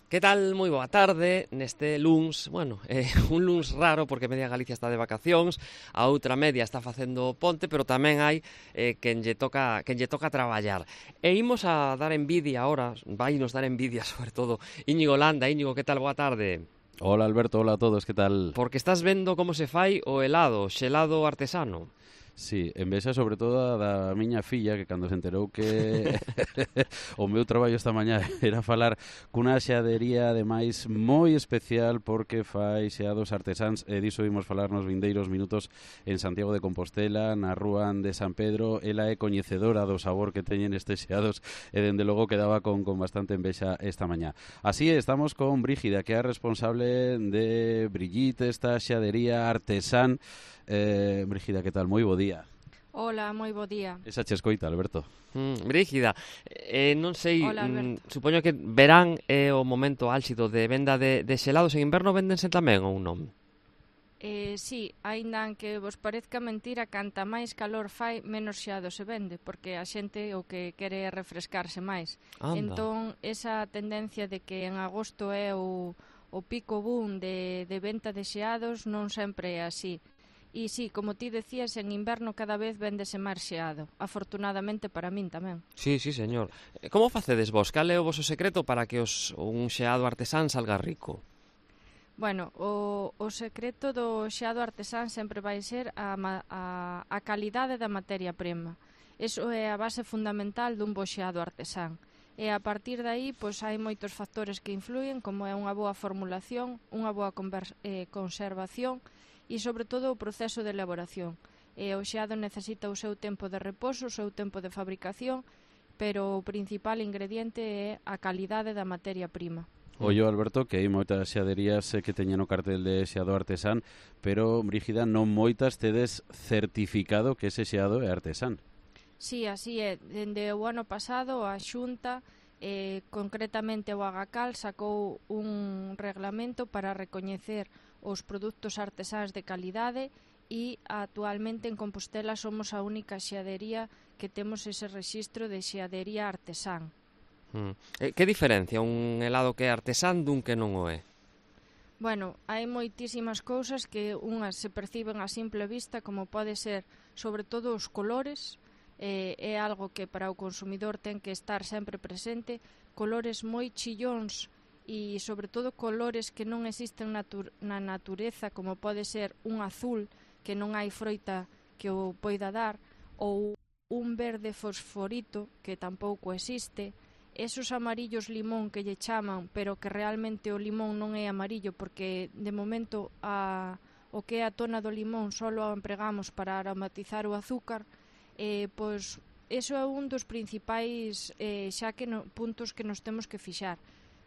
Que tal? Moi boa tarde neste luns, un luns raro porque media Galicia está de vacacións, a outra media está facendo ponte, pero tamén hai quen lle toca traballar. E imos a dar envidia agora, vai nos dar envidia sobre todo Íñigo Landa. Íñigo, que tal? Boa tarde. Hola Alberto, hola a todos, que tal? Porque estás vendo como se fai o helado, xelado artesano. Sí, envexa sobre todo da miña filla que cando se enterou que o meu traballo esta mañá era falar cunha xeadería ademais moi especial porque fai xeados artesáns e diso vimos falar nos vindeiros minutos en Santiago de Compostela, na rúa de San Pedro. Ela é coñecedora do sabor que teñen estes xeados e dende logo quedaba con bastante envexa esta mañá. Así estamos con Brígida, que é a responsable de Brigitte, esta xeadería artesán. Brígida, que tal? Moi bo día. Hola, moi bo día. Esa che escoita, Alberto. Brígida, non sei, Hola, Alberto. supoño que verán é o momento álxido de venda de xelados. En inverno véndense tamén ou non? Sí, aínda que vos parezca mentira, canta máis calor fai, menos xeado se vende, porque a xente o que quere é refrescarse máis. Anda. Entón, esa tendencia de que en agosto é o pico boom de venta de xeados non sempre é así. E sí, como ti decías, en inverno cada vez véndese máis xeado. Afortunadamente para min tamén. Sí, señor. Como facedes vos? Cal é o voso secreto para que un xeado artesán salga rico? Bueno, o secreto do xeado artesán sempre vai ser a calidade da materia prima. Eso é a base fundamental dun bo xeado artesán. E a partir de aí, pois hai moitos factores que influyen, como é unha boa formulación, unha boa conservación e, sobre todo, o proceso de elaboración. O xeado necesita o seu tempo de reposo, o seu tempo de fabricación, pero o principal ingrediente é a calidade da materia prima. Ollo, Alberto, que hai moitas xeaderías que teñen o cartel de xeado artesán, pero, Brígida, non moitas tedes certificado que ese xeado é artesán. Sí, así é. Dende o ano pasado, a Xunta, concretamente o Agacal, sacou un reglamento para recoñecer os produtos artesáns de calidade e actualmente en Compostela somos a única xeadería que temos ese rexistro de xeadería artesán. Que diferencia un helado que é artesán dun que non o é? Bueno, hai moitísimas cousas que unhas se perciben a simple vista, como pode ser, sobre todo, os colores. É algo que para o consumidor ten que estar sempre presente, colores moi chillóns e, sobre todo, colores que non existen na natureza, como pode ser un azul que non hai froita que o poida dar, ou un verde fosforito que tampouco existe. Esos amarillos limón que lle chaman, pero que realmente o limón non é amarillo, porque de momento o que é a tona do limón só o empregamos para aromatizar o azúcar. Pois eso é un dos principais puntos que nos temos que fixar.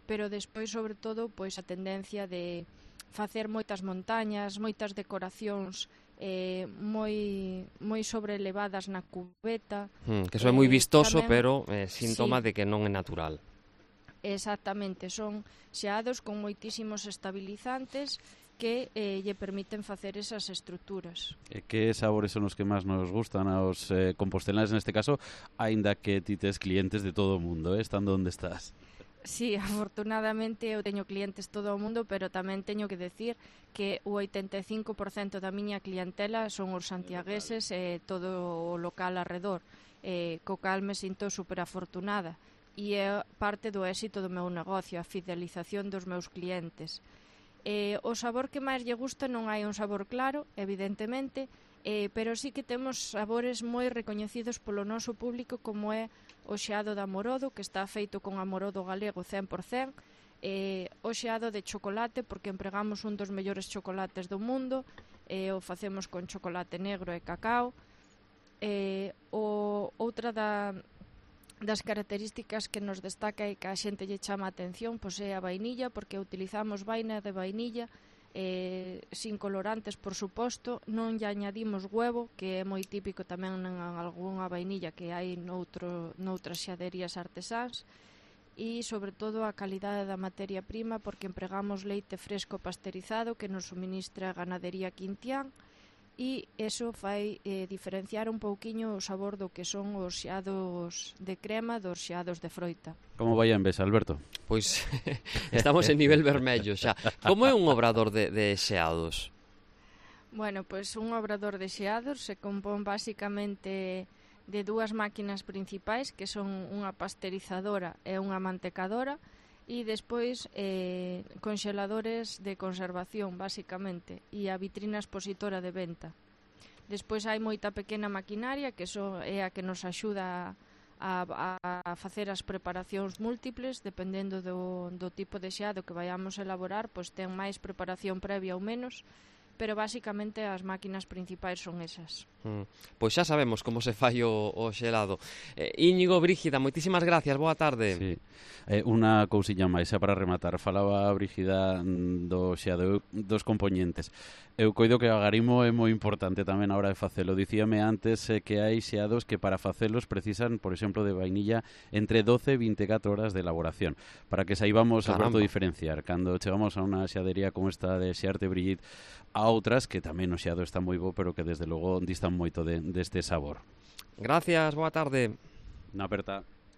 Pero despois, sobre todo, pois a tendencia de facer moitas montañas, moitas decoracións moi sobrelevadas na cubeta. Que eso é moi vistoso, tamén, pero síntoma sí, de que non é natural. Exactamente, son xeados con moitísimos estabilizantes que lle permiten facer esas estruturas. E que sabores son os que máis nos gustan aos compostelanes neste caso, aínda que ti tes clientes de todo o mundo, estando onde estás? Sí, afortunadamente eu teño clientes todo o mundo, pero tamén teño que decir que o 85% da miña clientela son os santiagueses e todo o local arredor, co cal me sinto super afortunada. E é parte do éxito do meu negocio, a fidelización dos meus clientes. O sabor que máis lle gusta non hai un sabor claro, evidentemente, pero sí que temos sabores moi recoñecidos polo noso público, como é o xeado de amorodo, que está feito con amorodo galego 100%, o xeado de chocolate, porque empregamos un dos mellores chocolates do mundo, o facemos con chocolate negro e cacao. Outra das características que nos destaca e que a xente lle chama a atención, pois é a vainilla, porque utilizamos vaina de vainilla, sin colorantes, por suposto, non lle añadimos huevo, que é moi típico tamén en algunha vainilla que hai noutras xaderías artesáns, e sobre todo a calidade da materia prima, porque empregamos leite fresco pasteurizado que nos suministra a ganadería Quintián, e iso fai diferenciar un pouquiño o sabor do que son os xeados de crema dos xeados de froita. Como vai a Envesa, Alberto? Pois estamos en nivel vermello xa. Como é un obrador de xeados? Bueno, pois un obrador de xeados se compón basicamente de dúas máquinas principais, que son unha pasteurizadora e unha mantecadora, e despois conxeladores de conservación, basicamente, e a vitrina expositora de venta. Despois hai moita pequena maquinaria, que é a que nos axuda a facer as preparacións múltiples, dependendo do tipo de xeado que vayamos a elaborar, pois ten máis preparación previa ou menos, pero basicamente as máquinas principais son esas. Pois xa sabemos como se fai o xelado. Íñigo, Brígida, moitísimas gracias, boa tarde. Sí. Unha cousiña máis, xa para rematar. Falaba a Brígida do xeado, dos componentes. Eu coido que o agarimo é moi importante tamén a hora de facelo. Dicíame antes que hai xeados que para facelos precisan, por exemplo, de vainilla entre 12 e 24 horas de elaboración. Para que saibamos, Alberto, diferenciar. Cando chegamos a unha xeadería como esta de Xearte Brigitte, a outras que tamén o xeado está moi bo, pero que desde logo distan moito deste sabor. Gracias, boa tarde. Na aperta.